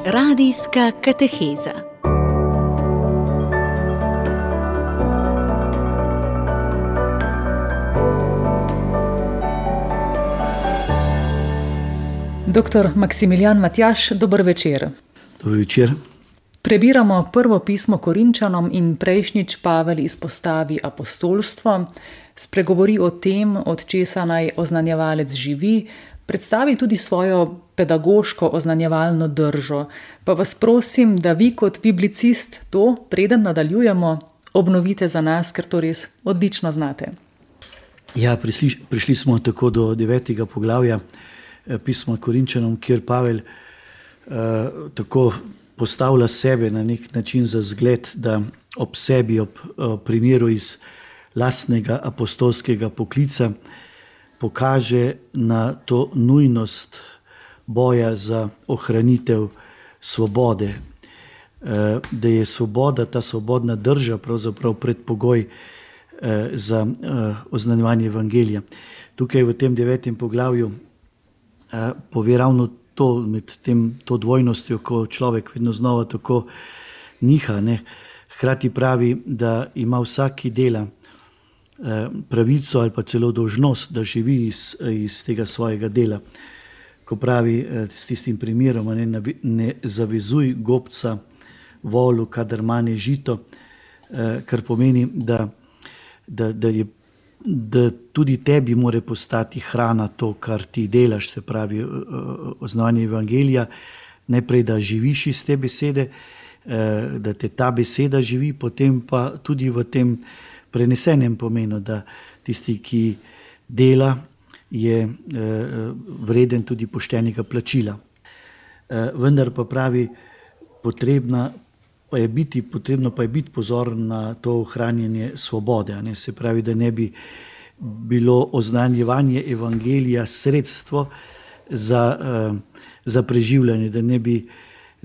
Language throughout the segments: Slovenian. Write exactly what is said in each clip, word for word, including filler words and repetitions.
Radijska kateheza. Doktor Maksimilijan Matjaž, dober večer. Dober večer. Prebiramo prvo pismo Korinčanom in prejšnjič Pavel izpostavi apostolstvo, spregovori o tem, od česa naj oznanjevalec živi, predstavi tudi svojo pedagoško oznanjevalno držo. Pa vas prosim, da vi kot biblicist to, preden nadaljujemo, obnovite za nas, ker to res odlično znate. Ja, prišli, prišli smo tako do devetega poglavja pisma Korinčanom, kjer Pavel uh, tako postavlja sebe na nek način za zgled, da ob sebi, ob uh, primeru iz lastnega apostolskega poklica pokaže na to nujnost boja za ohranitev svobode. Uh, da je svoboda, ta svobodna drža pravzaprav predpogoj uh, za uh, oznanjevanje evangelija. Tukaj v tem devetem poglavju uh, pove ravno to, med tem, to dvojnostjo, ko človek vedno znova tako niha. Ne? Hkrati pravi, da ima vsak, ki dela, pravico ali pa celo dolžnost, da živi iz, iz tega svojega dela. Ko pravi s tistim primerom, ne, ne zavezuj gobca volu, kadar mane žito, kar pomeni, da, da, da, je, da tudi tebi more postati hrana to, kar ti delaš, se pravi oznanje evangelija, najprej, da živiš iz te besede, da te ta beseda živi, potem pa tudi v tem prenesenem pomenu, da tisti, ki dela, je vreden tudi poštenega plačila. Vendar pa pravi, potrebna pa je biti, potrebno pa je biti pozoren na to ohranjanje svobode. Ne? Se pravi, da ne bi bilo oznanjevanje evangelija sredstvo za, za preživljanje, da ne bi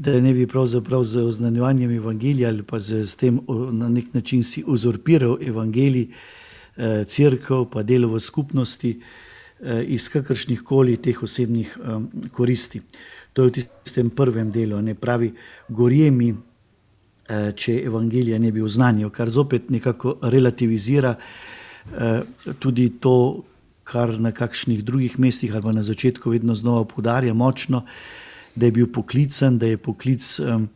da ne bi pravzaprav z oznanjevanjem evangelija ali pa z, z tem na nek način si uzurpiral evangelij, eh, cerkev pa delo v skupnosti eh, iz kakršnih koli teh osebnih eh, koristi. To je v tistem prvem delu, ne pravi, gorje mi, eh, če evangelija ne bi oznanjal, kar zopet nekako relativizira eh, tudi to, kar na kakšnih drugih mestih ali pa na začetku vedno znova poudarja močno, da je bil poklican, da je poklic um,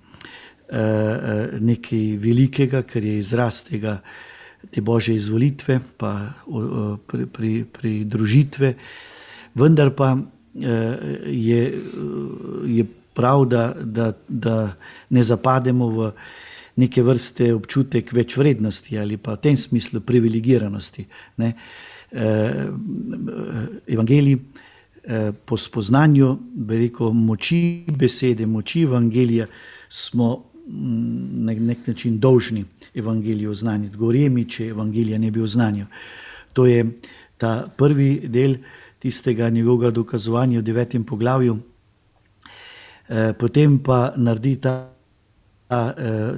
uh, nekaj velikega, ker je izraz tega, te Božje izvolitve, pa uh, pri, pri, pri družitve. Vendar pa uh, je, uh, je prav, da, da, da ne zapademo v neke vrste občutek več vrednosti ali pa v tem smislu privilegiranosti. Ne? Uh, evangelij po spoznanju, bi rekel, moči besede, moči evangelija smo na nek način dolžni evangelijo oznaniti. Gorje mi, če evangelija ne bi oznanil. To je ta prvi del tistega njegovega dokazovanja v devetem poglavju. Potem pa naredi ta, ta,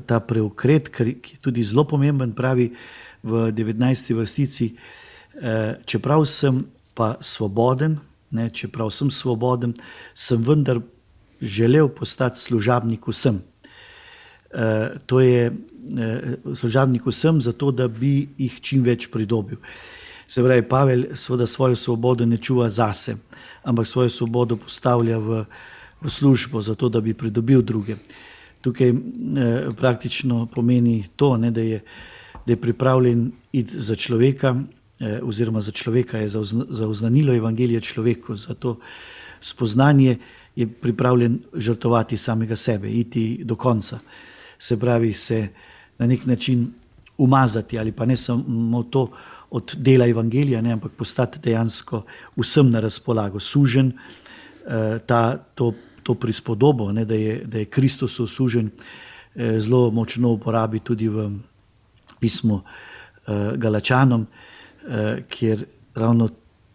ta preokret, ki je tudi zelo pomemben, pravi v devetnajsti vrstici, čeprav sem pa svoboden, Ne, čeprav sem svoboden, sem vendar želel postati služabnik vsem. E, to je e, služabnik vsem zato, da bi jih čim več pridobil. Se pravi, Pavel seveda svojo svobodo ne čuva zase, ampak svojo svobodo postavlja v, v službo zato, da bi pridobil druge. Tukaj e, praktično pomeni to, ne, da, je, da je pripravljen iti za človeka, oziroma za človeka je za oznanilo evangelija človeku, za to spoznanje je pripravljen žrtvovati samega sebe, iti do konca. Se pravi, se na nek način umazati ali pa ne samo to od dela evangelija, ne, ampak postati dejansko vsem na razpolago, sužen, ta, to, to prispodobo, ne, da, je, da je Kristus sužen, zelo močno uporabi tudi v pismu Galačanom, kjer ravno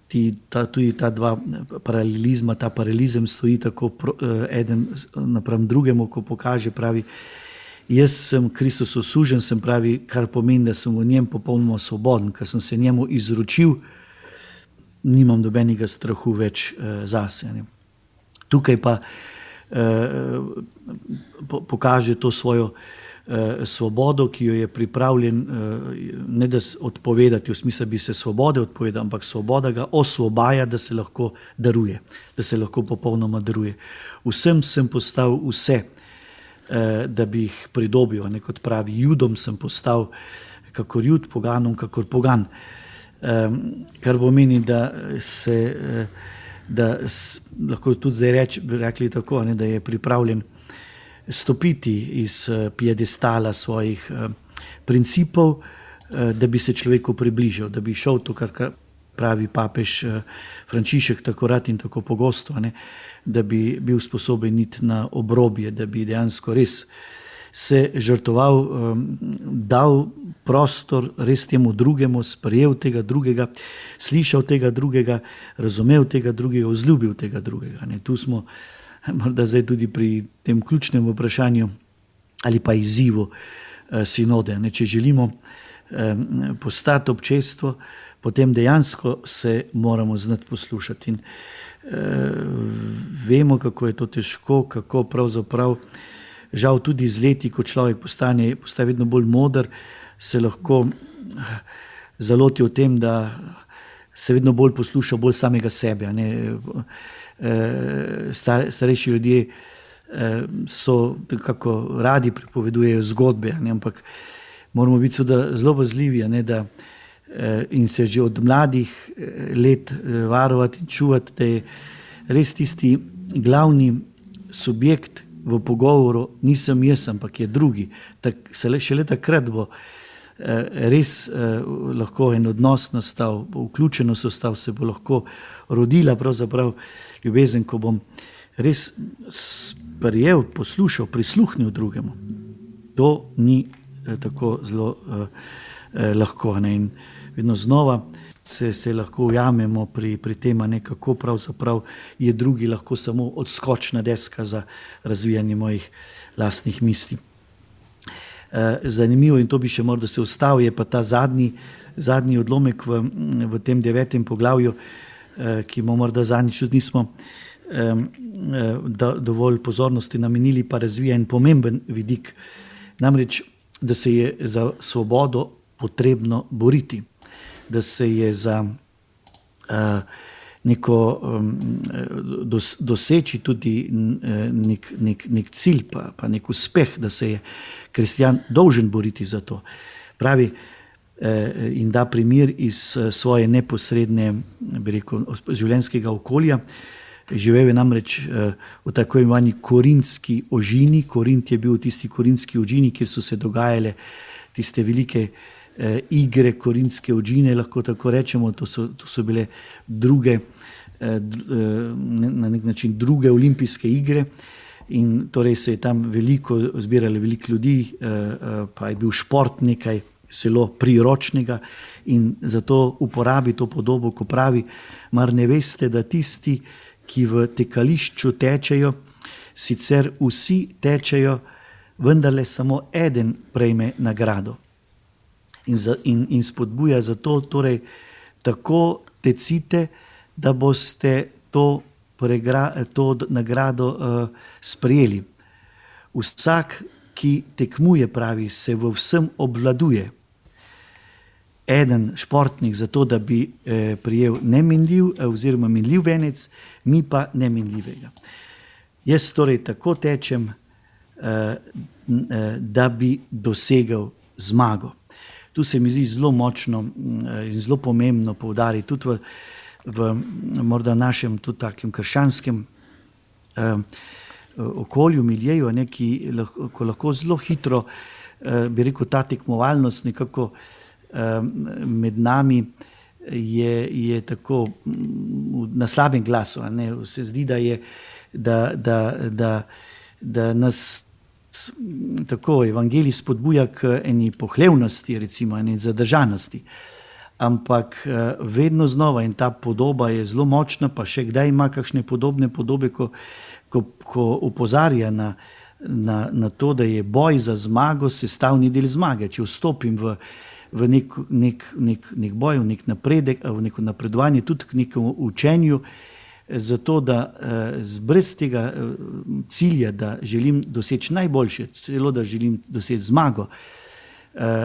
ti, ta, tudi ta dva paralelizma, ta paralelizem stoji tako eden napram drugemu, ko pokaže, pravi, jaz sem Kristusu sužen, sem pravi, kar pomeni, da sem v njem popolnoma svoboden, ker sem se njemu izročil, nimam dobenega strahu več zase. Ne. Tukaj pa pokaže to svojo svobodo, ki jo je pripravljen ne da odpovedati, v smislu bi se svobode odpovedal, ampak svoboda ga osvobaja, da se lahko daruje, da se lahko popolnoma daruje. Vsem sem postal vse, da bi jih pridobil, ne, kot pravi, Judom sem postal kakor Jud, poganom kakor pogan. Kar pomeni, da se da lahko tudi zdaj reč, rekli tako, ne, da je pripravljen stopiti iz piedestala svojih principov, da bi se človeku približal, da bi šel to, kar pravi papež Frančišek tako rad in tako pogosto, ne, da bi bil sposoben iti na obrobje, da bi dejansko res se žrtvoval, dal prostor res temu drugemu, sprejel tega drugega, slišal tega drugega, razumel tega drugega, vzljubil tega drugega. Ne. Tu smo morda zdaj tudi pri tem ključnem vprašanju ali pa izzivu sinode. Ne. Če želimo postati občestvo, potem dejansko se moramo znati poslušati. In vemo, kako je to težko, kako pravzaprav žal tudi z leti, ko človek postane, postane vedno bolj moder, se lahko zaloti o tem, da se vedno bolj posluša bolj samega sebe. Ne. Star, starejši ljudje so nekako radi pripovedujejo zgodbe, ne, ampak moramo biti seveda zelo pazljivi, ne, da in se že od mladih let varovati in čuvati, da je res tisti glavni subjekt v pogovoru nisem jaz, ampak je drugi. Tak, šele takrat bo res lahko en odnos nastal, bo vključenost ostal, se bo lahko rodila pravzaprav ljubezen, ko bom res sprejel, poslušal, prisluhnil drugemu. To ni tako zelo lahko. Ne? In vedno znova se, se lahko ujamemo pri, pri tem, kako pravzaprav je drugi lahko samo odskočna deska za razvijanje mojih lastnih misli. Zanimivo, in to bi še morda se ustavil, je pa ta zadnji, zadnji odlomek v, v tem devetem poglavju, ki mu morda zadnjič tudi nismo da, dovolj pozornosti namenili, pa razvija en pomemben vidik. Namreč, da se je za svobodo potrebno boriti, da se je za uh, neko um, dos, doseči tudi nek, nek, nek cilj, pa, pa nek uspeh, da se je kristjan dolžen boriti za to. Pravi eh, in da primer iz svoje neposredne, bi rekel, življenjskega okolja. Živel je namreč eh, v tako imenovani korintski ožini. Korint je bil tisti korintski ožini, kjer so se dogajale tiste velike eh, igre korintske ožine, lahko tako rečemo. To so, to so bile druge, eh, na nek način druge olimpijske igre. In torej se je tam veliko zbiralo, veliko ljudi, pa je bil šport nekaj zelo priročnega in zato uporabi to podobo, ko pravi, mar ne veste, da tisti, ki v tekališču tečejo, sicer vsi tečejo, vendarle samo eden prejme nagrado. In, za, in, in spodbuja zato, torej, tako tecite, da boste to to nagrado uh, sprejeli. Vsak, ki tekmuje, pravi, se v vsem obvladuje. Eden športnik zato, da bi eh, prijel neminljiv oziroma minljiv venec, mi pa neminljivega. Jaz torej tako tečem, eh, da bi dosegal zmago. Tu se mi zdi zelo močno in eh, zelo pomembno poudariti tudi v v morda našem tudi takem krščanskem eh, okolju, miljeju, ne, ki lahko, ko lahko zelo hitro, eh, bi rekel, ta tekmovalnost nekako eh, med nami je, je tako na slabem glasu. Ne. Se zdi, da, je, da, da, da, da nas tako evangelij spodbuja k eni pohlevnosti, recimo eni zadržanosti. Ampak vedno znova, in ta podoba je zelo močna, pa še kdaj ima kakšne podobne podobe, ko, ko, ko opozarja na, na, na to, da je boj za zmago sestavni del zmage. Če vstopim v, v nek, nek, nek, nek boj, v nek napredek, v neko napredovanje, tudi k nekemu učenju, zato da brez tega cilja, da želim doseči najboljše, celo da želim doseči zmago,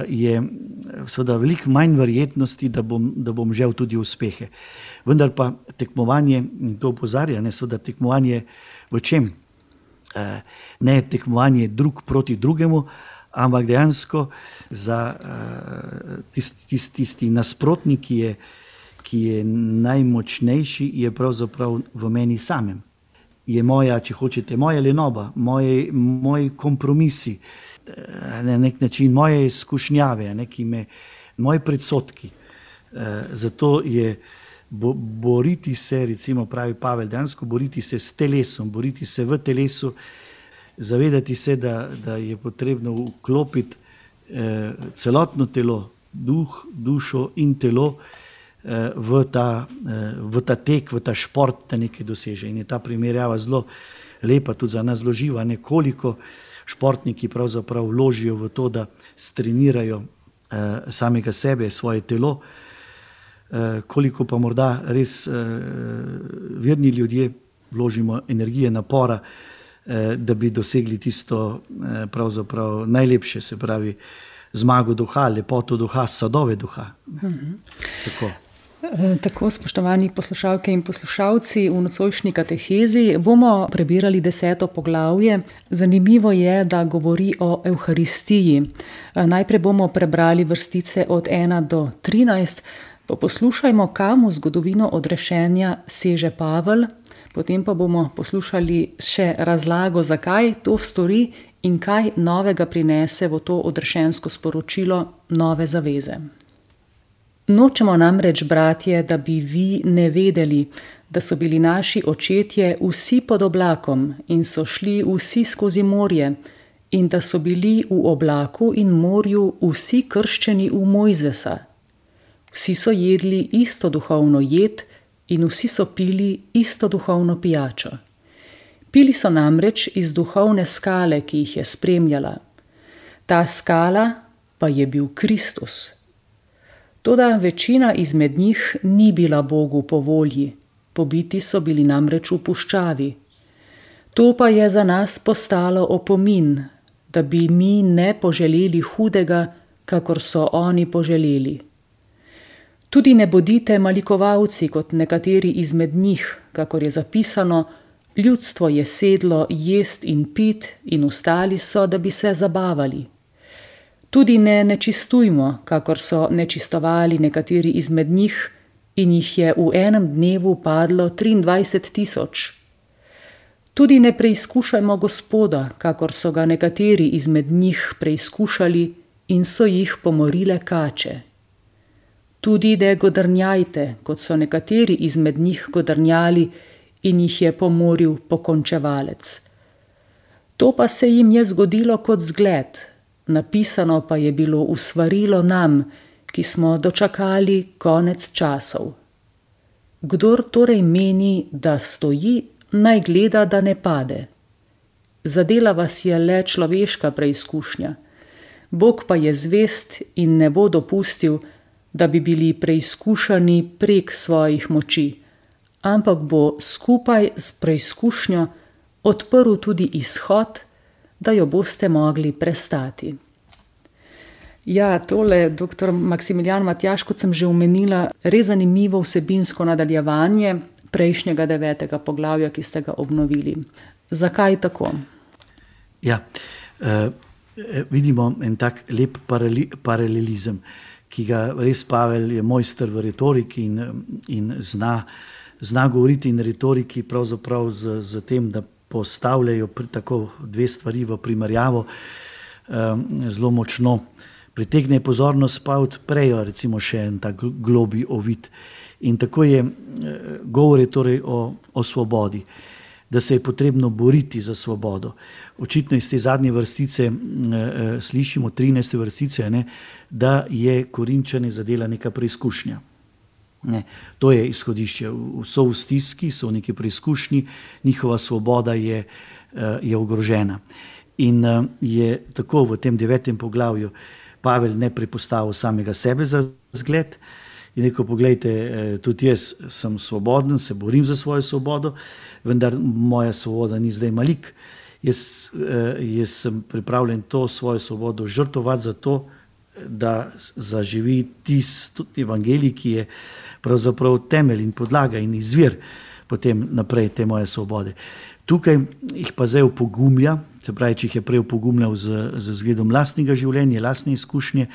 je seveda veliko manj verjetnosti, da bom, da bom žel tudi uspehe. Vendar pa tekmovanje, in to opozarja, ne, seveda tekmovanje v čem? Ne tekmovanje drug proti drugemu, ampak dejansko za tisti, tisti, tisti nasprotnik, ki je ki je najmočnejši, je pravzaprav v meni samem. Je moja, če hočete, moja lenoba, moji, moji kompromisi, na nek način moje izkušnjave, neki me, moji predsodki. Zato je bo, boriti se, recimo pravi Pavel, dejansko boriti se s telesom, boriti se v telesu, zavedati se, da, da je potrebno vklopiti eh, celotno telo, duh, dušo in telo, V ta, v ta tek, v ta šport, da nekaj doseže. In je ta primerjava zelo lepa, tudi za nas zelo živa, koliko športniki pravzaprav vložijo v to, da strenirajo eh, samega sebe, svoje telo, eh, koliko pa morda res eh, verni ljudje vložimo energije, napora, eh, da bi dosegli tisto eh, pravzaprav najlepše, se pravi zmago duha, lepoto duha, sadove duha. Mhm. Tako. Tako, spoštovani poslušalke in poslušalci, v nocojšnji katehezi bomo prebirali deseto poglavje. Zanimivo je, da govori o Evharistiji. Najprej bomo prebrali vrstice od ena do trinajst, pa poslušajmo, kam v zgodovino odrešenja seže Pavel, potem pa bomo poslušali še razlago, zakaj to stori in kaj novega prinese v to odrešensko sporočilo nove zaveze. Nočemo namreč, bratje, da bi vi ne vedeli, da so bili naši očetje vsi pod oblakom in so šli vsi skozi morje in da so bili v oblaku in morju vsi krščeni v Mojzesa. Vsi so jedli isto duhovno jed in vsi so pili isto duhovno pijačo. Pili so namreč iz duhovne skale, ki jih je spremljala. Ta skala pa je bil Kristus. Toda večina izmed njih ni bila Bogu po volji, pobiti so bili namreč v puščavi. To pa je za nas postalo opomin, da bi mi ne poželeli hudega, kakor so oni poželeli. Tudi ne bodite malikovalci kot nekateri izmed njih, kakor je zapisano, ljudstvo je sedlo jest in pit in ustali so, da bi se zabavali. Tudi ne nečistujmo, kakor so nečistovali nekateri izmed njih in jih je v enem dnevu padlo triindvajset tisoč. Tudi ne preizkušajmo Gospoda, kakor so ga nekateri izmed njih preizkušali in so jih pomorile kače. Tudi ne godrnjajte, kot so nekateri izmed njih godrnjali in jih je pomoril pokončevalec. To pa se jim je zgodilo kot zgled, napisano pa je bilo v svarilo nam, ki smo dočakali konec časov. Kdor torej meni, da stoji, naj gleda, da ne pade. Zadela vas je le človeška preizkušnja. Bog pa je zvest in ne bo dopustil, da bi bili preizkušani prek svojih moči, ampak bo skupaj s preizkušnjo odprl tudi izhod, da jo boste mogli prestati. Ja, tole, doktor Maksimilijan Matjaž, kot sem že omenila, res zanimivo vsebinsko nadaljevanje prejšnjega devetega poglavja, ki ste ga obnovili. Zakaj tako? Ja, eh, vidimo en tak lep parali, paralelizem, ki ga res Pavel je mojster v retoriki in, in zna, zna govoriti in retoriki pravzaprav z, z tem, da postavljajo tako dve stvari v primerjavo, um, zelo močno pritegne pozornost, pa odprejo recimo še en tak globi ovid. In tako je govore torej o, o svobodi, da se je potrebno boriti za svobodo. Očitno iz te zadnje vrstice eh, slišimo, trinajste vrstice, ne, da je Korinčane zadela neka preizkušnja. Ne, to je izhodišče. So v stiski, so v neki preizkušnji, njihova svoboda je, je ogrožena. In je tako v tem devetem poglavju Pavel ne prepostavil samega sebe za zgled in rekel, poglejte, tudi jaz sem svoboden, se borim za svojo svobodo, vendar moja svoboda ni zdaj malik. Jaz, jaz sem pripravljen to svojo svobodo žrtvovati za to, da zaživi tisti evangelij, ki je pravzaprav temelj in podlaga in izvir potem naprej te moje svobode. Tukaj jih pa zdaj opogumlja, se pravi, če jih je prej opogumljal z, z zgledom lastnega življenja, lastne izkušnje,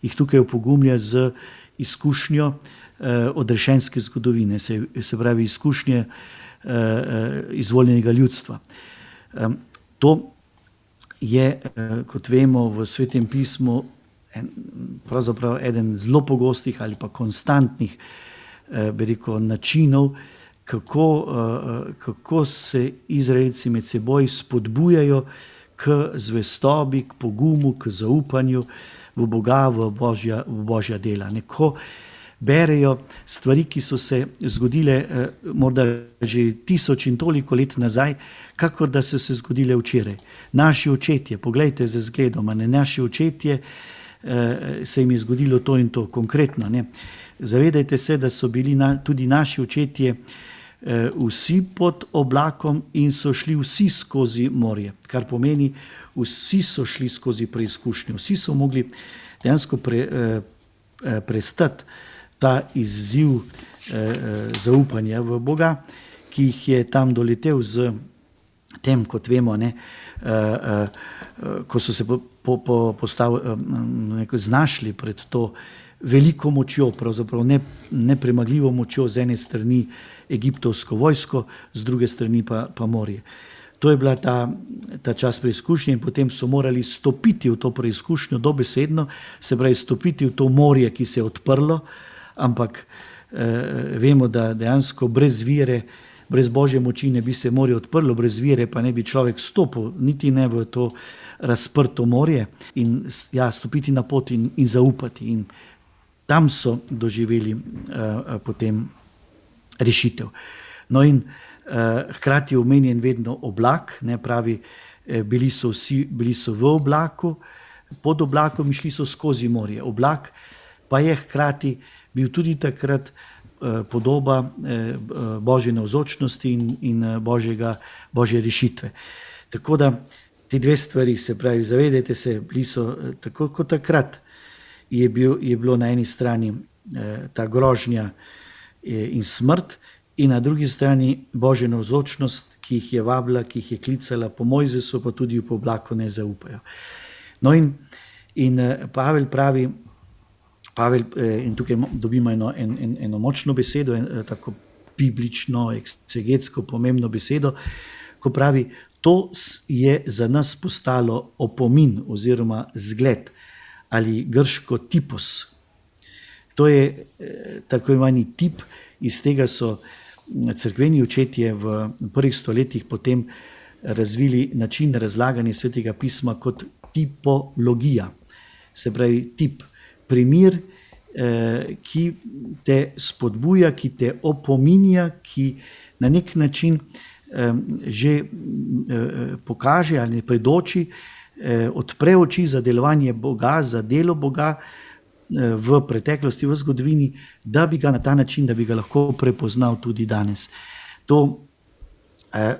jih tukaj opogumlja z izkušnjo eh, odrešenske zgodovine, se, se pravi izkušnje eh, izvoljenega ljudstva. Eh, to je, eh, kot vemo, v Svetem pismu en, pravzaprav eden zelo pogostih ali pa konstantnih eh, bi rekel, načinov, kako, eh, kako se Izraelci med seboj spodbujajo k zvestobi, k pogumu, k zaupanju v Boga, v Božja, v Božja dela. Neko berejo stvari, ki so se zgodile eh, morda že tisoč in toliko let nazaj, kakor da so se zgodile včeraj. Naši očetje, poglejte za zgledom, ne, naši očetje eh, se jim je zgodilo to in to konkretno. Ne. Zavedajte se, da so bili na, tudi naši očetje eh, vsi pod oblakom in so šli vsi skozi morje, kar pomeni, vsi so šli skozi preizkušnjo, vsi so mogli dejansko pre, eh, prestati ta izziv eh, zaupanja v Boga, ki jih je tam doletel z tem, kot vemo, ne, eh, eh, ko so se po, po, po postav, eh, znašli pred to veliko močjo, pravzaprav ne, nepremagljivo močjo z ene strani egiptovsko vojsko, z druge strani pa, pa morje. To je bila ta, ta čas preizkušnje in potem so morali stopiti v to preizkušnjo dobesedno, se pravi stopiti v to morje, ki se je odprlo, ampak eh, vemo, da dejansko brez vire, brez Božje moči ne bi se morje odprlo, brez vire pa ne bi človek stopil, niti ne v to razprto morje in ja, stopiti na pot in, in zaupati. In tam so doživeli eh, potem rešitev. No in eh, hkrati je omenjen vedno oblak, ne pravi, eh, bili so vsi, bili so v oblaku, pod oblakom in šli so skozi morje. Oblak pa je hkrati bil tudi takrat eh, podoba eh, Božje navzočnosti in, in Božjega, Božje rešitve. Tako da te dve stvari, se pravi, zavedajte se, bili so eh, tako kot takrat, je, bil, je bilo na eni strani eh, ta grožnja eh, in smrt, in na drugi strani Božja navzočnost, ki jih je vabila, ki jih je klicala po Mojzesu, pa tudi po oblaku ne zaupajo. No in, in eh, Pavel pravi, Pavel, eh, in tukaj dobimo eno, en, en, eno močno besedo, en, tako biblično, eksegetsko pomembno besedo, ko pravi, to je za nas postalo opomin oziroma zgled ali grško tipos. To je eh, tako imani tip, iz tega so cerkveni očetje v prvih stoletjih potem razvili način razlaganja Svetega pisma kot tipologija, se pravi tip, primer, eh, ki te spodbuja, ki te opominja, ki na nek način eh, že eh, pokaže ali predoči, eh, odpre oči za delovanje Boga, za delo Boga eh, v preteklosti, v zgodovini, da bi ga na ta način, da bi ga lahko prepoznal tudi danes. To eh,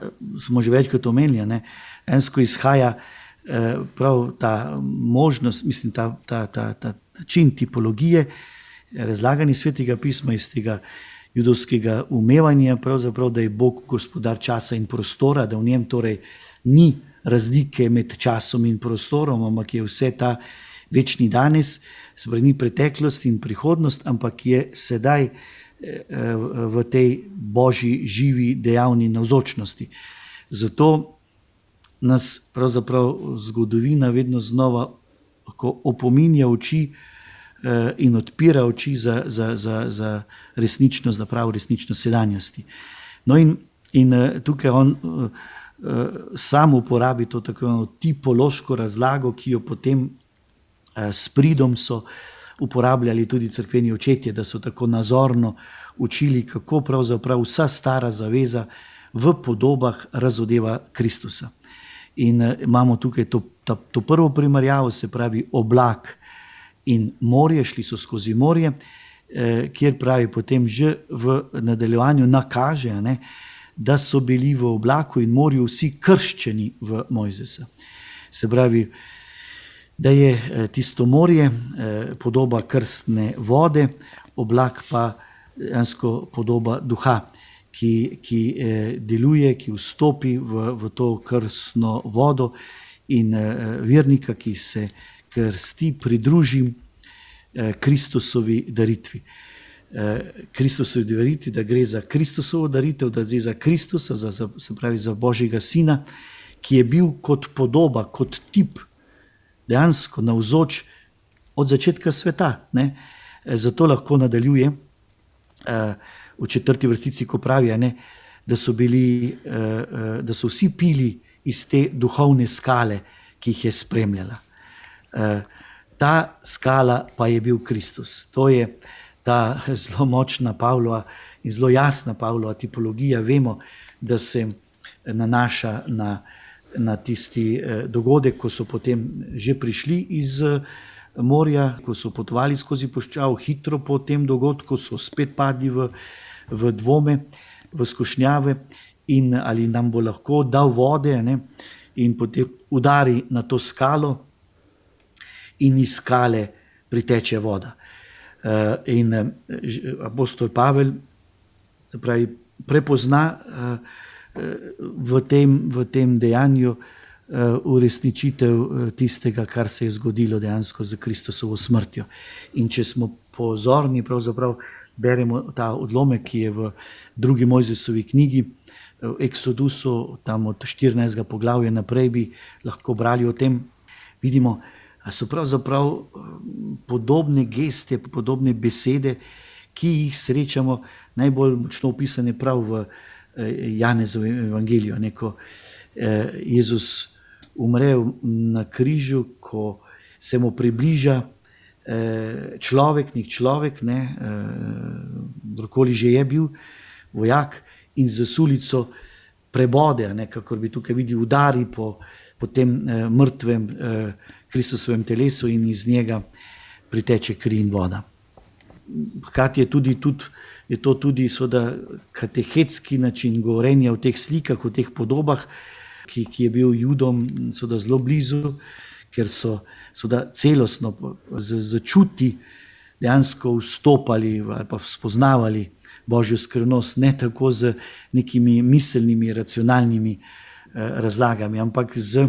smo že večkrat omenili, ne, ensko izhaja eh, prav ta možnost, mislim, ta, ta, ta, ta način tipologije, razlaganje Svetega pisma iz tega judovskega umevanja, pravzaprav, da je Bog gospodar časa in prostora, da v njem torej ni razlike med časom in prostorom, ampak je vse ta večni danes, se pravi, ni preteklost in prihodnost, ampak je sedaj v tej Božji živi dejavni navzočnosti. Zato nas pravzaprav zgodovina vedno znova opominja oči in odpira oči za, za, za, za resničnost, za pravo resničnost sedanjosti. No in, in tukaj on uh, sam uporabi to tako tipološko razlago, ki jo potem uh, s pridom so uporabljali tudi cerkveni očetje, da so tako nazorno učili, kako pravzaprav vsa stara zaveza v podobah razodeva Kristusa. In uh, imamo tukaj to, ta, to prvo primerjavo, se pravi oblak in morje, šli so skozi morje, kjer pravi potem že v nadaljevanju nakaže, ne, da so bili v oblaku in morju vsi krščeni v Mojzesa. Se pravi, da je tisto morje podoba krstne vode, oblak pa dejansko podoba duha, ki, ki deluje, ki vstopi v, v to krstno vodo in vernika, ki se krsti, pridruži Kristusovi daritvi. Kristusovi daritvi, da gre za Kristusovo daritev, da gre za Kristusa, za, za, se pravi za Božjega sina, ki je bil kot podoba, kot tip, dejansko navzoč od začetka sveta. Ne? Zato lahko nadaljuje v četrti vrstici, ko pravi, ne, da so bili, da so vsi pili iz te duhovne skale, ki jih je spremljala. Ta skala pa je bil Kristus. To je ta zelo močna Pavlova in zelo jasna Pavlova tipologija. Vemo, da se nanaša na, na tisti dogodek, ko so potem že prišli iz morja, ko so potovali skozi puščavo, hitro po tem dogodku so spet padli v, v dvome, v skušnjave in ali nam bo lahko dal vode, ne? In potem udari na to skalo in iz skale priteče voda. In apostol Pavel, se pravi, prepozna v tem, v tem dejanju uresničitev tistega, kar se je zgodilo dejansko za Kristusovo smrtjo. In če smo pozorni, pravzaprav beremo ta odlomek, ki je v drugi Mojzesovi knjigi, v Eksodusu, tam od štirinajstega poglavja naprej bi lahko brali o tem, vidimo, da so pravzaprav podobne geste, podobne besede, ki jih srečamo najbolj močno opisane prav v Janezovem evangeliju. Neko Jezus umre na križu, ko se mu približa človek, nek človek, ne, kdorkoli že je bil, vojak, in za sulico prebode, ne, kakor bi tukaj videl, udari po, po tem mrtvem Kristusovem telesu in iz njega priteče kri in voda. Hkrati je, tudi, tudi, je to tudi seveda katehetski način govorjenja o teh slikah, o teh podobah, ki, ki je bil Judom seveda zelo blizu, ker so seveda celostno začuti dejansko vstopali ali pa spoznavali Božjo skrivnost, ne tako z nekimi miselnimi, racionalnimi razlagami, ampak z,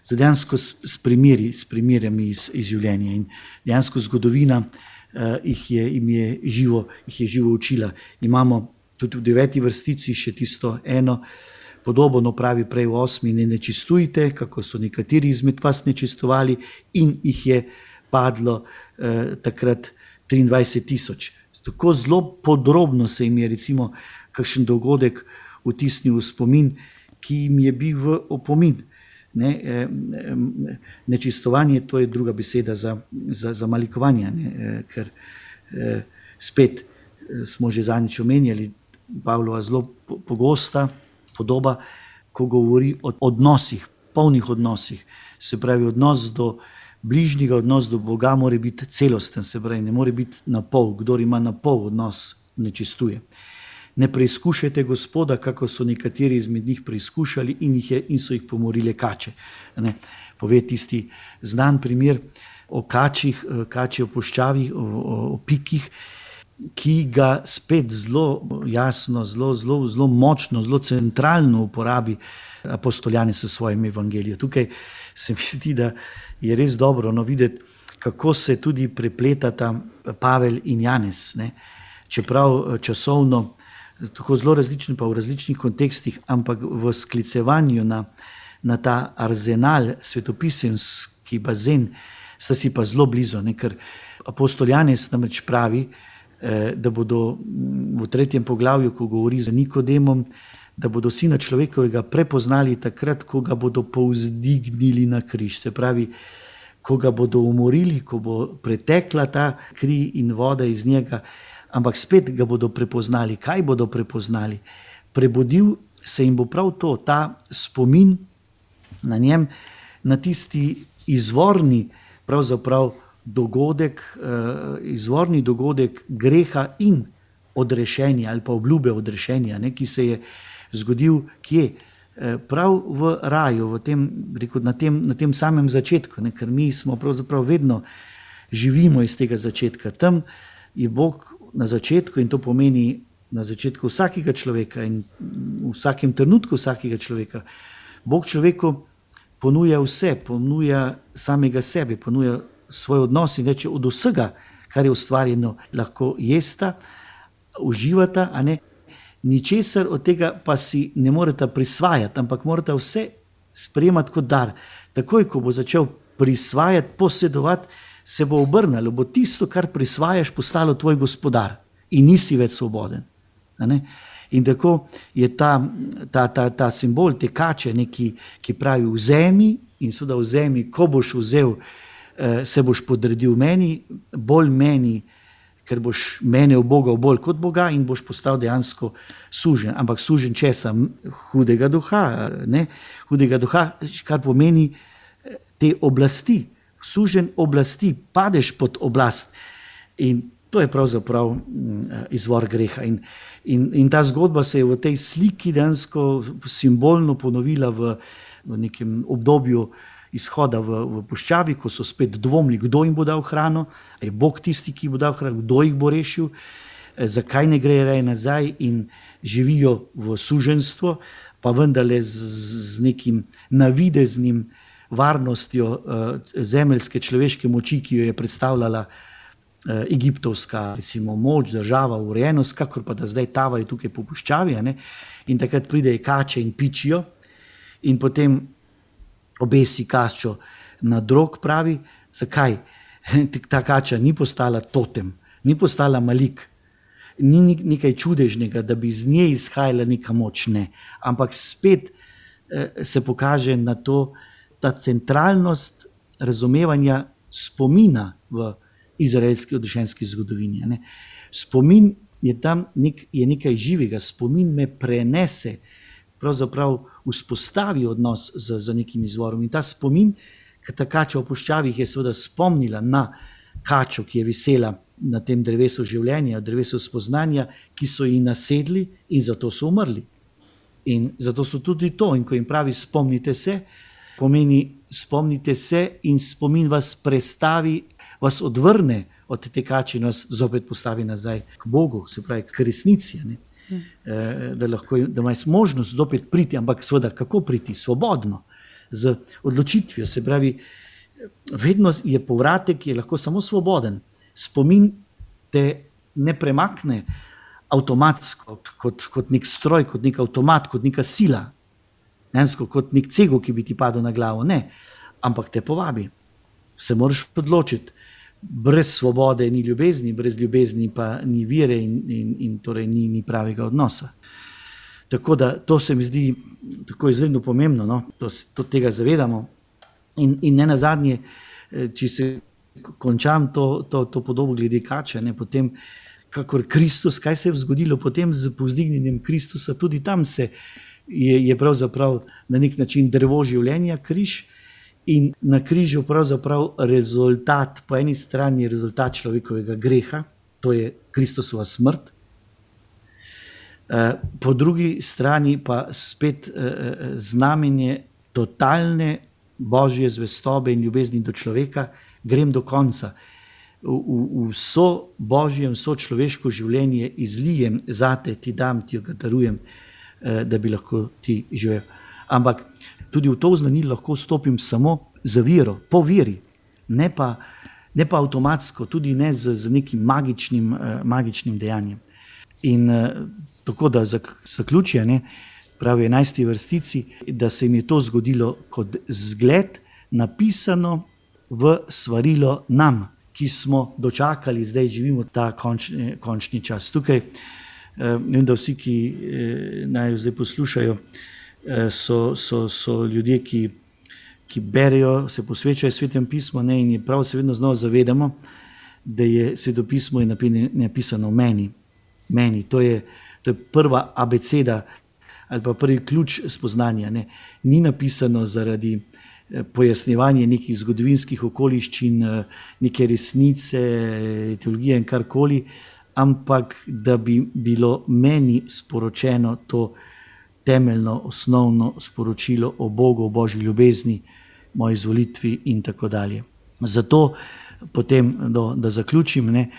z dejansko s, s primeri, s primerjami iz, iz življenja. In dejansko zgodovina uh, jih, je, jim je živo, jih je živo učila. Imamo tudi v deveti vrstici še tisto eno podobo, no pravi prej v osmi, ne nečistujte, kako so nekateri izmed vas nečistovali in jih je padlo uh, takrat triindvajset tisoč. Tako zelo podrobno se jim je recimo kakšen dogodek vtisnil v spomin, ki jim je bil v opomin. Ne, nečistovanje, to je druga beseda za, za, za malikovanje, ne, ker spet smo že zadnjič omenjali, Pavlova zelo pogosta podoba, ko govori o odnosih, polnih odnosih, se pravi odnos do bližnjega, odnos do Boga mora biti celosten, se pravi, ne more biti na pol. Kdor ima na pol odnos, nečistuje. Ne preizkušajte Gospoda, kako so nekateri izmed njih preizkušali in, jih je, in so jih pomorile kače. Ne, pove tisti znan primer o kačih, kači o puščavi, o, o, o pikih, ki ga spet zelo jasno, zelo, zelo, zelo močno, zelo centralno uporabi apostol Janez v svojem evangeliju. Tukaj se mi zdi, da je res dobro no, videti, kako se tudi prepletata Pavel in Janez. Ne? Čeprav časovno tako zelo različni, pa v različnih kontekstih, ampak v sklicevanju na, na ta arzenal, svetopisemski bazen, sta si pa zelo blizu. Ne? Ker apostol Janez namreč pravi, da bodo v tretjem poglavju, ko govori z Nikodemom, da bodo sina človekovega prepoznali takrat, ko ga bodo povzdignili na križ. Se pravi, ko ga bodo umorili, ko bo pretekla ta kri in voda iz njega, ampak spet ga bodo prepoznali. Kaj bodo prepoznali? Prebudil se jim bo prav to, ta spomin na njem, na tisti izvorni pravzaprav dogodek, izvorni dogodek greha in odrešenja ali pa obljube odrešenja, ne, ki se je zgodil kje? Prav v raju, v tem, rekel, na, tem, na tem samem začetku, ne, ker mi smo pravzaprav vedno živimo iz tega začetka. Tam je Bog na začetku, in to pomeni na začetku vsakega človeka in v vsakem trenutku vsakega človeka. Bog človeku ponuja vse, ponuja samega sebe, ponuja svoj odnos in reče, od vsega, kar je ustvarjeno, lahko jesta, uživata, a ne. Ničesar od tega pa si ne morete prisvajati, ampak morate vse sprejemati kot dar. Takoj, ko bo začel prisvajati, posedovati, se bo obrnilo, bo tisto, kar prisvajaš, postalo tvoj gospodar in nisi več svoboden. A ne? In tako je ta, ta, ta, ta simbol te kače, ne, ki, ki pravi vzemi, in seveda vzemi, ko boš vzel, se boš podredil meni, bolj meni, ker boš mene ubogal bolj kot Boga in boš postal dejansko sužen. Ampak sužen česa? Hudega duha, ne? Hudega duha, kar pomeni te oblasti. Sužen oblasti, padeš pod oblast. In to je pravzaprav izvor greha. In, in, in ta zgodba se je v tej sliki dejansko simbolno ponovila v, v nekem obdobju izhoda v, v puščavi, ko so spet dvomili, kdo jim bo dal hrano, je Bog tisti, ki bo dal hrano, kdo jih bo rešil, zakaj ne gre raje nazaj in živijo v suženstvo, pa vendarle z, z nekim navideznim varnostjo zemeljske človeške moči, ki jo je predstavljala egiptovska, recimo, moč, država, urejenost, kakor pa da zdaj tavajo tukaj po puščavi, ne? In takrat pridejo kače in pičijo in potem obesi kačo na drog, pravi, zakaj? Ta kača ni postala totem, ni postala malik, ni nekaj čudežnega, da bi iz nje izhajala neka moč, ne. Ampak spet se pokaže na to, ta centralnost razumevanja spomina v izraelski odrešenski zgodovini. Ne. Spomin je tam nek, je nekaj živega, spomin me prenese, pravzaprav vzpostavi odnos z, z nekim izvorom. In ta spomin, ker ta kača v puščavih je seveda spomnila na kačo, ki je visela na tem drevesu življenja, drevesu spoznanja, ki so ji nasedli in zato so umrli. In zato so tudi to. In ko jim pravi spomnite se, pomeni spomnite se in spomin vas prestavi, vas odvrne od te kače in vas zopet postavi nazaj k Bogu, se pravi k resnici, ne? Da lahko, da imaš možnost zopet priti, ampak seveda kako priti? Svobodno, z odločitvijo, se pravi, vedno je povratek, ki je lahko samo svoboden. Spomin te ne premakne avtomatsko, kot, kot nek stroj, kot nek avtomat, kot neka sila, nensko, kot nek cego, ki bi ti padel na glavo, ne, ampak te povabi. Se moraš odločiti. Brez svobode ni ljubezni, brez ljubezni pa ni vire in, in, in torej ni, ni pravega odnosa. Tako da to se mi zdi tako izredno pomembno, no? to, to tega zavedamo. In, in ne nazadnje, če se končam to, to, to podobo glede kače, ne? Potem kakor Kristus, kaj se je zgodilo potem z povzdignjenjem Kristusa, tudi tam se je, je pravzaprav na nek način drevo življenja, križ. In na križu pravzaprav rezultat, po eni strani je rezultat človekovega greha, to je Kristusova smrt, po drugi strani pa spet znamenje totalne božje zvestobe in ljubezni do človeka, grem do konca. V, v, vso božje, vso človeško življenje izlijem zate, ti dam, ti jo darujem, da bi lahko ti živel. Ampak tudi v to znanilo lahko stopim samo za vero, po veri, ne pa, ne pa avtomatsko, tudi ne z, z nekim magičnim, magičnim dejanjem. In tako da zaključuje, ne, pravi enajsti vrstici, da se jim je to zgodilo kot zgled, napisano v svarilo nam, ki smo dočakali, zdaj živimo ta končni, končni čas. Tukaj, vem, da vsi, ki naj zdaj poslušajo, so, so, so ljudje, ki, ki berejo, se posvečajo Svetem pismu, ne, in je prav se vedno znova zavedamo, da je Sveto pismo je napisano v meni. Meni. To je, to je prva abeceda ali pa prvi ključ spoznanja. Ne. Ni napisano zaradi pojasnjevanje nekih zgodovinskih okoliščin, neke resnice, teologije in karkoli, ampak da bi bilo meni sporočeno to temeljno, osnovno sporočilo o Bogu, o Božji ljubezni, moji izvolitvi in tako dalje. Zato potem, do, da zaključim, ne,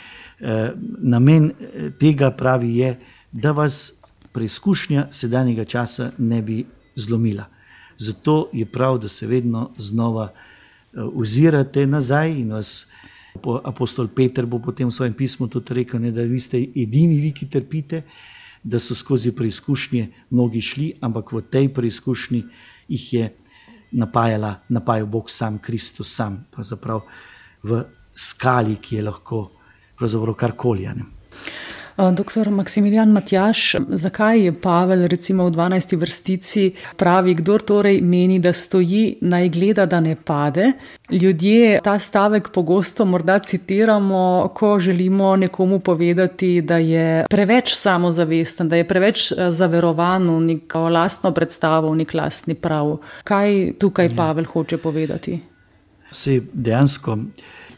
namen tega pravi je, da vas preizkušnja sedanjega časa ne bi zlomila. Zato je prav, da se vedno znova ozirate nazaj in vas apostol Peter bo potem v svojem pismu tudi rekel, ne, da vi ste edini vi, ki trpite, da so skozi preizkušnje mnogi šli, ampak v tej preizkušnji jih je napajala, napajal Bog sam, Kristus sam, pravzaprav v skali, ki je lahko pravzaprav karkoli. Doktor Maksimilijan Matjaž, zakaj je Pavel recimo v dvanajsti vrstici pravi, kdor torej meni, da stoji, naj gleda, da ne pade? Ljudje ta stavek pogosto morda citiramo, ko želimo nekomu povedati, da je preveč samozavesten, da je preveč zaverovan v neko lastno predstavo, v nek lastni prav. Kaj tukaj Pavel hoče povedati? Sej dejansko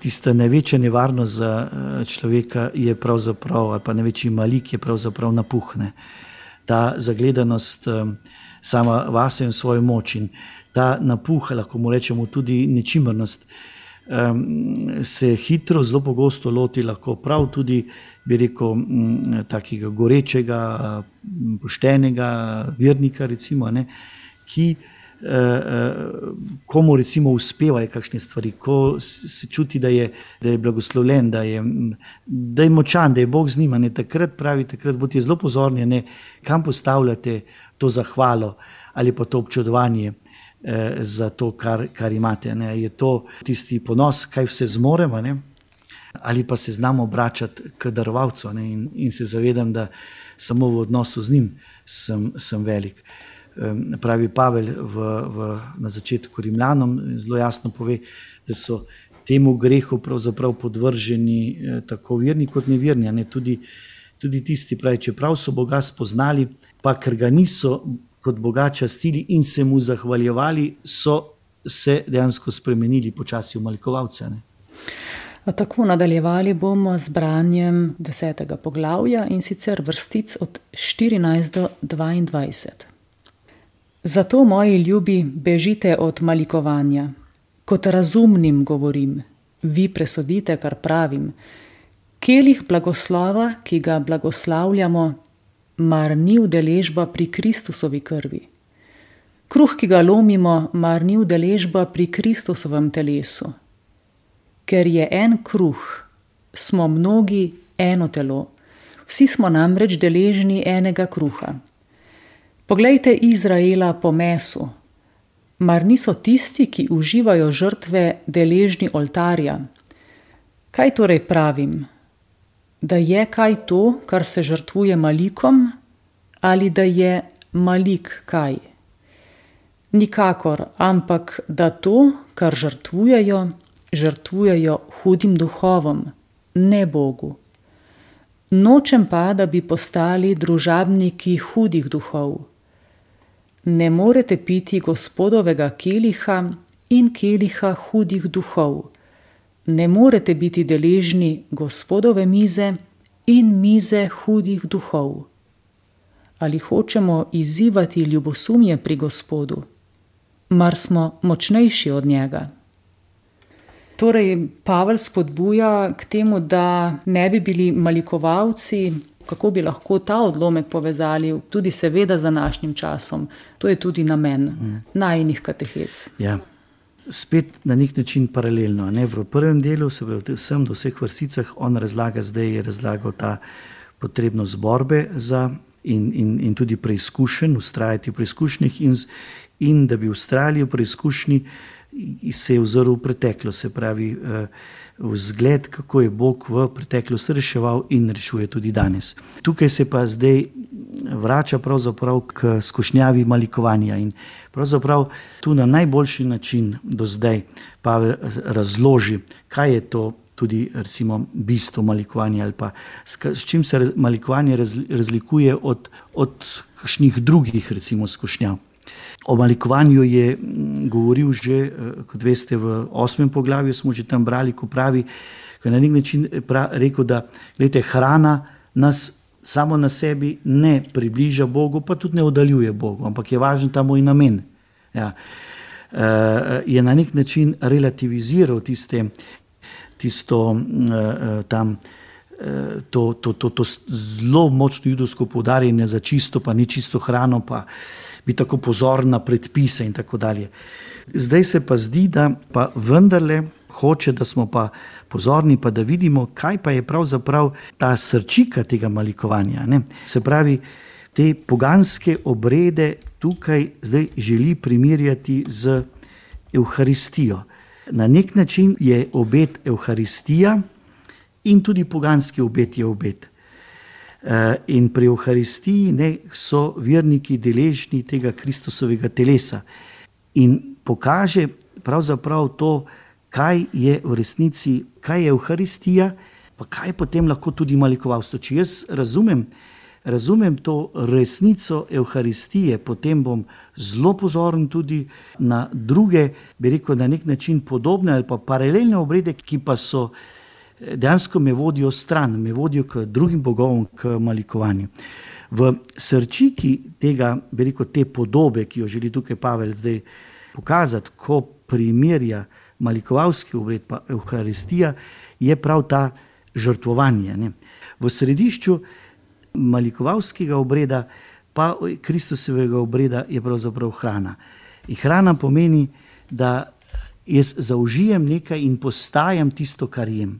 tista največja nevarnost za človeka je pravzaprav, ali pa največji malik je pravzaprav napuh. Ta zagledanost sama vase in svojo moč in ta napuh, lahko mu rečemo tudi nečimrnost, se hitro, zelo pogosto loti lahko prav tudi, bi rekel, takega gorečega, poštenega vernika, recimo, ne, ki komu recimo uspevajo kakšne stvari, ko se čuti, da je, da je blagoslovljen, da je, da je močan, da je Bog z njima, ne, takrat pravi, takrat bodite zelo pozorni, ne, kam postavljate to zahvalo ali pa to občudovanje eh, za to, kar, kar imate. Ne. Je to tisti ponos, kaj vse zmoremo, ne, ali pa se znamo obračati k darovalcu, ne, in, in se zavedam, da samo v odnosu z njim sem, sem velik. Pravi Pavel v, v, na začetku Rimljanom, zelo jasno pove, da so temu grehu pravzaprav podvrženi eh, tako verni kot neverni, ne, tudi, tudi tisti, pravi, čeprav so Boga spoznali, pa ker ga niso kot Boga častili in se mu zahvaljevali, so se dejansko spremenili počasi v malikovalce. Tako nadaljevali bomo z branjem desetega poglavja in sicer vrstic od štirinajst do dvaindvajset. Zato, moji ljubi, bežite od malikovanja. Kot razumnim govorim, vi presodite, kar pravim. Kelih blagoslova, ki ga blagoslavljamo, mar ni udeležba pri Kristusovi krvi. Kruh, ki ga lomimo, mar ni udeležba pri Kristusovem telesu. Ker je en kruh, smo mnogi eno telo. Vsi smo namreč deležni enega kruha. Poglejte Izraela po mesu. Mar niso tisti, ki uživajo žrtve, deležni oltarja? Kaj torej pravim? Da je kaj to, kar se žrtvuje malikom, ali da je malik kaj? Nikakor, ampak da to, kar žrtvujejo, žrtvujejo hudim duhovom, ne Bogu. Nočem pa, da bi postali družabniki hudih duhov. Ne morete piti Gospodovega keliha in keliha hudih duhov. Ne morete biti deležni Gospodove mize in mize hudih duhov. Ali hočemo izzivati ljubosumje pri Gospodu? Mar smo močnejši od njega? Torej, Pavel spodbuja k temu, da ne bi bili malikovalci. Kako bi lahko ta odlomek povezali tudi seveda z današnjim časom? To je tudi namen mm. najinih katehez. Ja, spet na nek način paralelno. Ne? V prvem delu, se pravi vsem do vseh vrsticah, on razlaga, zdaj je razlagal ta potrebnost borbe za in, in, in tudi preizkušenj, ustrajati v preizkušnjih in, in da bi ustrajali v preizkušnji, se je ozrl v preteklost, se pravi vzgled, kako je Bog v preteklosti reševal in rešuje tudi danes. Tukaj se pa zdaj vrača pravzaprav k skušnjavi malikovanja in pravzaprav tu na najboljši način do zdaj Pavel razloži, kaj je to tudi recimo bistvo malikovanja ali pa s čim se malikovanje razlikuje od, od kakšnih drugih recimo skušnjav. O malikovanju je govoril že, kot veste, v osmem poglavju smo že tam brali, ko pravi, ko je na nek način rekel, da glejte, hrana nas samo na sebi ne približa Bogu, pa tudi ne oddaljuje Bogu, ampak je važen ta moj namen. Ja. Je na nek način relativiziral tiste, tisto tam, to, to, to, to zelo močno judovsko poudarjanje za čisto, pa ni čisto hrano, pa biti tako pozoren na predpise in tako dalje. Zdaj se pa zdi, da pa vendarle hoče, da smo pa pozorni, pa da vidimo, kaj pa je pravzaprav ta srčika tega malikovanja. Ne? Se pravi, te poganske obrede tukaj zdaj želi primerjati z Evharistijo. Na nek način je obed Evharistija in tudi poganski obed je obed. In pri Evharistiji ne, so verniki deležni tega Kristusovega telesa in pokaže pravzaprav to, kaj je v resnici, kaj je Evharistija, pa kaj potem lahko tudi malikovalstvo. Če jaz razumem, razumem to resnico Evharistije, potem bom zelo pozoren tudi na druge, bi rekel, na nek način podobne ali pa paralelne obrede, ki pa so dejansko me vodijo stran, me vodijo k drugim bogovom, k malikovanju. V srčiki tega, bi rekel, te podobe, ki jo želi tukaj Pavel zdaj pokazati, ko primerja malikovalski obred pa Evharistija, je prav ta žrtvovanje. Ne. V središču malikovalskega obreda pa Kristusovega obreda je pravzaprav hrana. In hrana pomeni, da jaz zaužijem nekaj in postajam tisto, kar jem.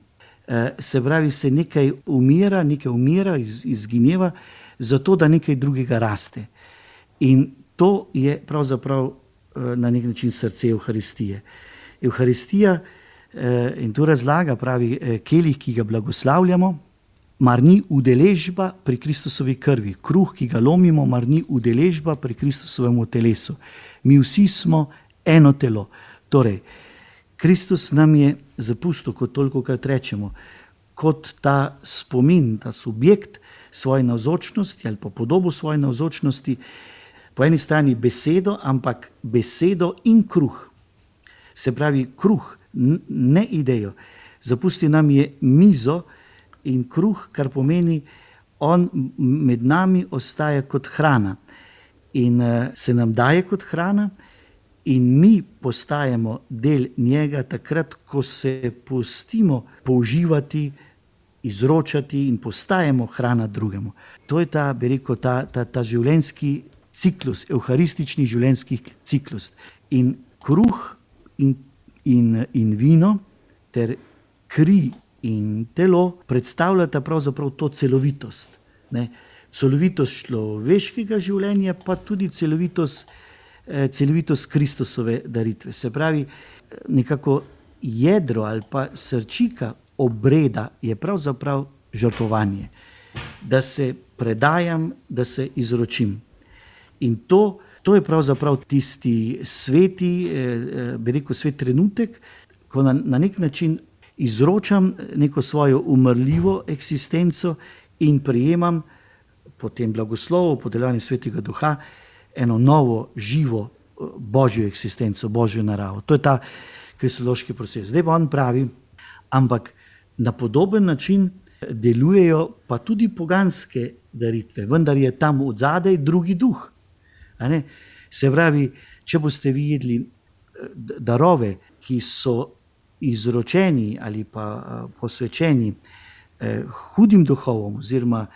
Se pravi, se nekaj umira, nekaj umira, iz, izgineva, zato da nekaj drugega raste. In to je pravzaprav na nek način srce Evharistije. Evharistija, in to razlaga, pravi, kelih, ki ga blagoslavljamo, mar ni udeležba pri Kristusovi krvi. Kruh, ki ga lomimo, mar ni udeležba pri Kristusovemu telesu. Mi vsi smo eno telo. Torej, Kristus nam je zapustil, kot tolikokrat rečemo, kot ta spomin, ta subjekt svoje navzočnosti ali pa podobo svoje navzočnosti, po eni strani besedo, ampak besedo in kruh. Se pravi, kruh, ne idejo. Zapustil nam je mizo in kruh, kar pomeni, on med nami ostaja kot hrana in se nam daje kot hrana, in mi postajamo del njega takrat, ko se pustimo použivati, izročati in postajamo hrana drugemu. To je ta, bi rekel, ta, ta, ta življenjski ciklus, evharistični življenjski ciklus. In kruh in, in, in vino ter kri in telo predstavljata pravzaprav to celovitost. Ne? Celovitost človeškega življenja, pa tudi celovitost celovitost Kristusove daritve. Se pravi, nekako jedro ali pa srčika obreda je pravzaprav žrtvovanje. Da se predajam, da se izročim. In to, to je pravzaprav tisti sveti, bi rekel, svet trenutek, ko na, na nek način izročam neko svojo umrljivo eksistenco in prijemam po tem blagoslovu, po delovanju Svetega Duha, eno novo, živo božjo eksistenco, božjo naravo. To je ta kristološki proces. Zdaj pa on pravi, ampak na podoben način delujejo pa tudi poganske daritve, vendar je tam odzadaj drugi duh. A ne? Se pravi, če boste vi jedli darove, ki so izročeni ali pa posvečeni eh, hudim duhovom oziroma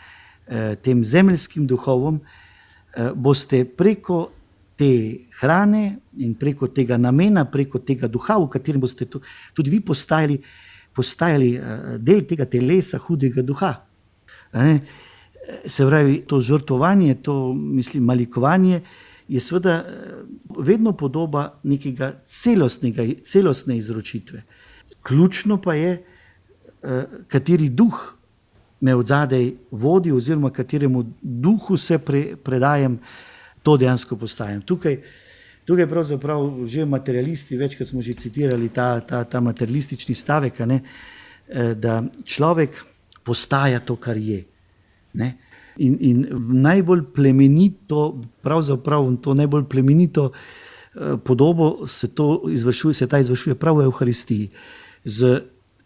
eh, tem zemeljskim duhovom, boste preko te hrane in preko tega namena, preko tega duha, v katerem boste tudi vi postajali, postajali del tega telesa hudega duha. Se pravi, to žrtvovanje, to mislim, malikovanje je seveda vedno podoba nekega celostnega, celostne izročitve. Ključno pa je, kateri duh me odzadej vodi oziroma kateremu duhu se pre, predajam, to dejansko postajam. Tukaj, tukaj pravzaprav že materialisti, večkrat smo že citirali ta, ta, ta materialistični stavek, ne, da človek postaja to, kar je. Ne. In, in najbolj plemenito, pravzaprav to najbolj plemenito eh, podobo se, to izvršuje, se ta izvršuje prav v Evharistiji. Z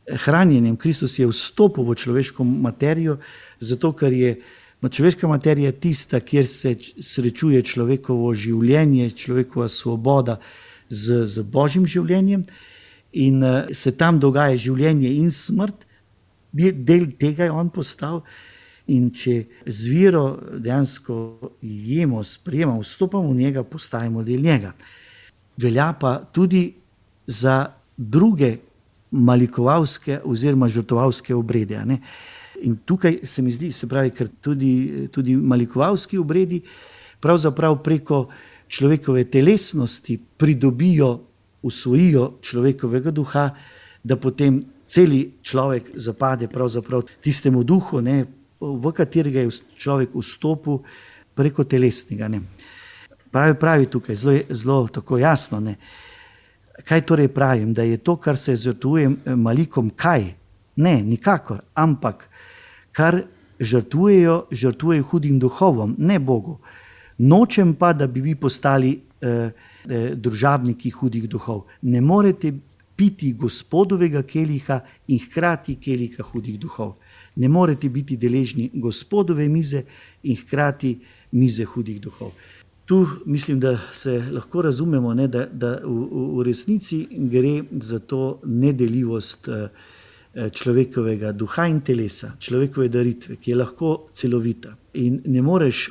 hranjenjem Kristus je vstopil v človeško materijo, zato ker je človeška materija tista, kjer se srečuje človekovo življenje, človekova svoboda z, z Božjim življenjem in uh, se tam dogaja življenje in smrt. Del tega je on postal. In če z vero dejansko jemo, sprejemamo, vstopamo v njega, postajamo del njega. Velja pa tudi za druge malikovalske oziroma žrtvovalske obrede. Ne? In tukaj se mi zdi, se pravi, ker tudi, tudi malikovalski obredi pravzaprav preko človekove telesnosti pridobijo, usvojijo človekovega duha, da potem celi človek zapade pravzaprav tistemu duhu, ne, v katerega je človek vstopil preko telesnega. Ne. Pravi, pravi tukaj, zelo, zelo tako jasno. Ne. Kaj torej pravim? Da je to, kar se žrtvuje malikom, kaj? Ne, nikakor, ampak kar žrtvujejo, žrtvujejo hudim duhovom, ne Bogu. Nočem pa, da bi vi postali eh, eh, družabniki hudih duhov. Ne morete piti Gospodovega keliha in hkrati keliha hudih duhov. Ne morete biti deležni Gospodove mize in hkrati mize hudih duhov. Tu mislim, da se lahko razumemo, ne, da, da v, v resnici gre za to nedeljivost človekovega duha in telesa, človekove daritve, ki je lahko celovita. In ne moreš,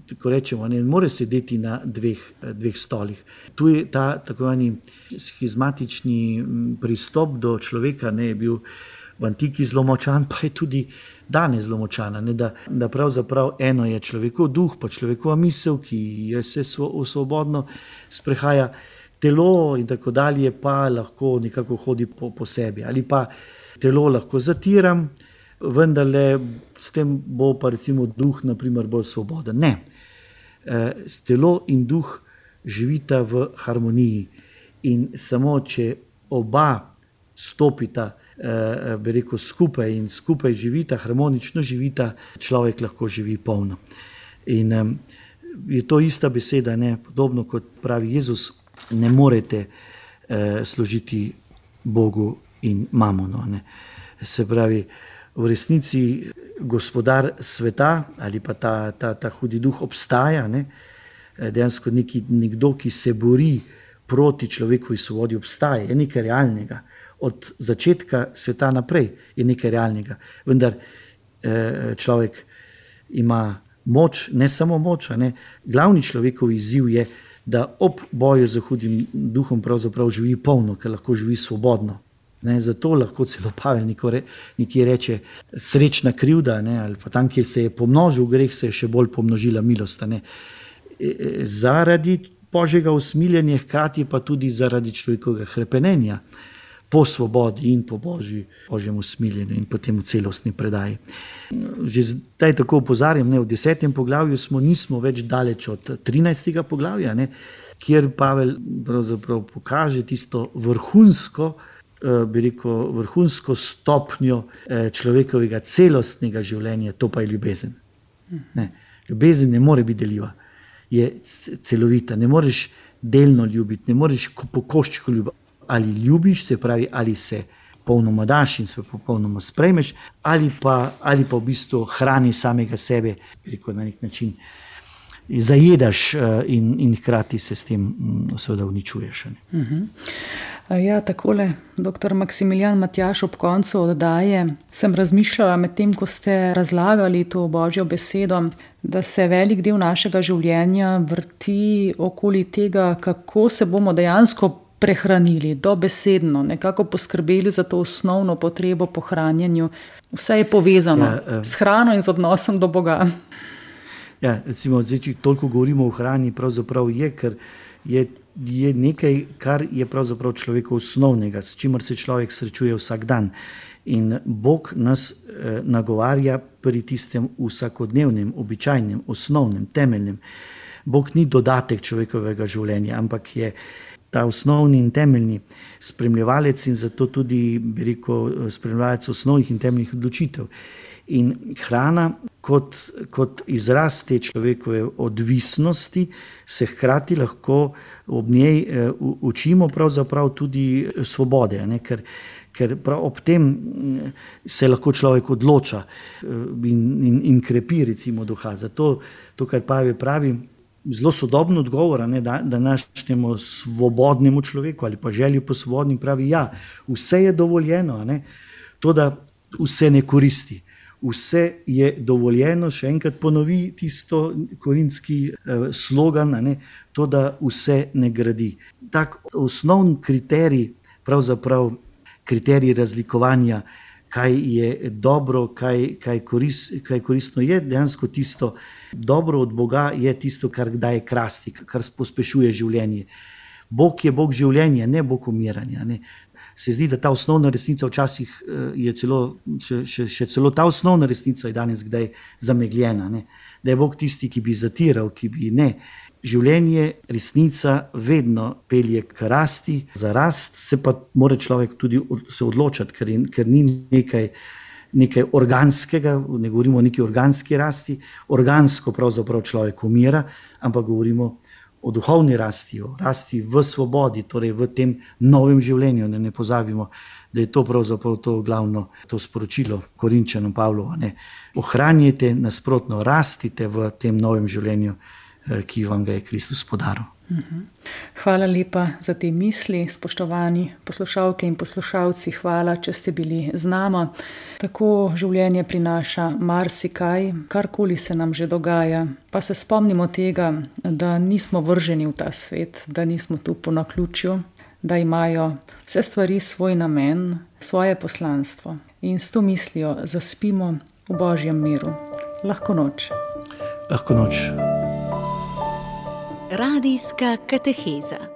tako rečemo, ne moreš sedeti na dveh, dveh stolih. Tu je ta tako zvani schizmatični pristop do človeka, ne, je bil v antiki zelo močan, pa je tudi danes zelo močana. Ne, da, da pravzaprav eno je človekov duh, pa človekova misel, ki je se svobodno sprehaja, telo in tako dalje pa lahko nekako hodi po, po sebi. Ali pa telo lahko zatiram, vendarle s tem bo pa recimo duh naprimer bolj svoboden. Ne. E, telo in duh živita v harmoniji in samo če oba stopita eh, bi rekel, skupaj in skupaj živita, harmonično živita, človek lahko živi polno. In eh, je to ista beseda, ne? Podobno kot pravi Jezus, ne morete eh, služiti Bogu in mamonu. Ne? Se pravi, v resnici gospodar sveta ali pa ta, ta, ta hudi duh obstaja, ne? Dejansko neki, nekdo, ki se bori proti človekovi svobodi, obstaja, je nekaj realnega. Od začetka sveta naprej je nekaj realnega. Vendar eh, človek ima moč, ne samo moč, ne? Glavni človekov izziv je, da ob boju za hudim duhom pravzaprav živi polno, ker lahko živi svobodno. Ne? Zato lahko celo Pavel nekje reče srečna krivda, ne? Ali pa tam, kjer se je pomnožil greh, se je še bolj pomnožila milost. Ne? E, zaradi Božjega usmiljenja, hkrati pa tudi zaradi človekovega hrepenenja po svobodi in po Božji, Božjem usmiljenju in potem v celostni predaji. Že zdaj tako opozarjam, ne, v desetem poglavju smo, nismo več daleč od trinajstega poglavja, ne, kjer Pavel pravzaprav pokaže tisto vrhunsko, eh, bi rekel, vrhunsko stopnjo eh, človekovega celostnega življenja, to pa je ljubezen. Ne, ljubezen ne more biti deljiva, je celovita, ne moreš delno ljubiti, ne moreš po koščku ljubiti. Ali ljubiš, se pravi, ali se popolnoma daš in se popolnoma sprejmeš, ali pa, ali pa v bistvu hrani samega sebe, rekel, na nek način zajedaš in, in hkrati se s tem seveda uničuješ. Uh-huh. Ja, takole, doktor Maksimilijan Matjaž, ob koncu oddaje sem razmišljala med tem, ko ste razlagali to Božjo besedo, da se velik del našega življenja vrti okoli tega, kako se bomo dejansko prehranili, dobesedno, nekako poskrbeli za to osnovno potrebo po hranjenju. Vse je povezano ja, uh, s hrano in z odnosom do Boga. Ja, recimo, zdaj, če toliko govorimo o hrani, pravzaprav je, ker je, je nekaj, kar je pravzaprav človeku osnovnega, s čimer se človek srečuje vsak dan. In Bog nas eh, nagovarja pri tistem vsakodnevnem, običajnem, osnovnem, temeljnem. Bog ni dodatek človekovega življenja, ampak je ta osnovni in temeljni spremljevalec in zato tudi, bi rekel, spremljevalec osnovnih in temeljnih odločitev. In hrana kot, kot izraz te človekove odvisnosti se hkrati lahko ob njej eh, učimo pravzaprav tudi svobode, ne? ker, ker prav ob tem se lahko človek odloča in, in, in krepi recimo duha. Zato to, kar Pavel pravi, zelo sodoben odgovor, ne, da, današnjemu svobodnemu človeku ali pa želji po svobodnim, pravi, ja, vse je dovoljeno, ne, to, da vse ne koristi. Vse je dovoljeno, še enkrat ponovi tisto korinski eh, slogan, ne, to, da vse ne gradi. Tak osnovni kriterij, pravzaprav kriterij razlikovanja, kaj je dobro, kaj, kaj, korist, kaj koristno je, dejansko tisto dobro od Boga je tisto, kar daje krasti, kar pospešuje življenje. Bog je Bog življenja, ne Bog umiranja. Ne. Se zdi, da ta osnovna resnica včasih je celo, še, še, še celo ta osnovna resnica je danes kdaj zamegljena. Ne. Da je Bog tisti, ki bi zatiral, ki bi ne. Življenje, resnica vedno pelje k rasti, za rast se pa mora človek tudi se odločati, ker, je, ker ni nekaj, nekaj organskega, ne govorimo o neki organski rasti, organsko pravzaprav človek umira, ampak govorimo o duhovni rasti, o rasti v svobodi, torej v tem novem življenju. Ne, ne pozabimo, da je to pravzaprav to glavno to sporočilo Korinčanom Pavlova. Ne. Ohranjajte, nasprotno rastite v tem novem življenju, ki vam ga je Kristus podaril. Hvala lepa za te misli, spoštovani poslušalke in poslušalci, hvala, če ste bili z nama. Tako življenje prinaša marsikaj, karkoli se nam že dogaja, pa se spomnimo tega, da nismo vrženi v ta svet, da nismo tu po naključju, da imajo vse stvari svoj namen, svoje poslanstvo. In s to mislijo zaspimo v Božjem miru. Lahko noč. Lahko noč. Radijska kateheza.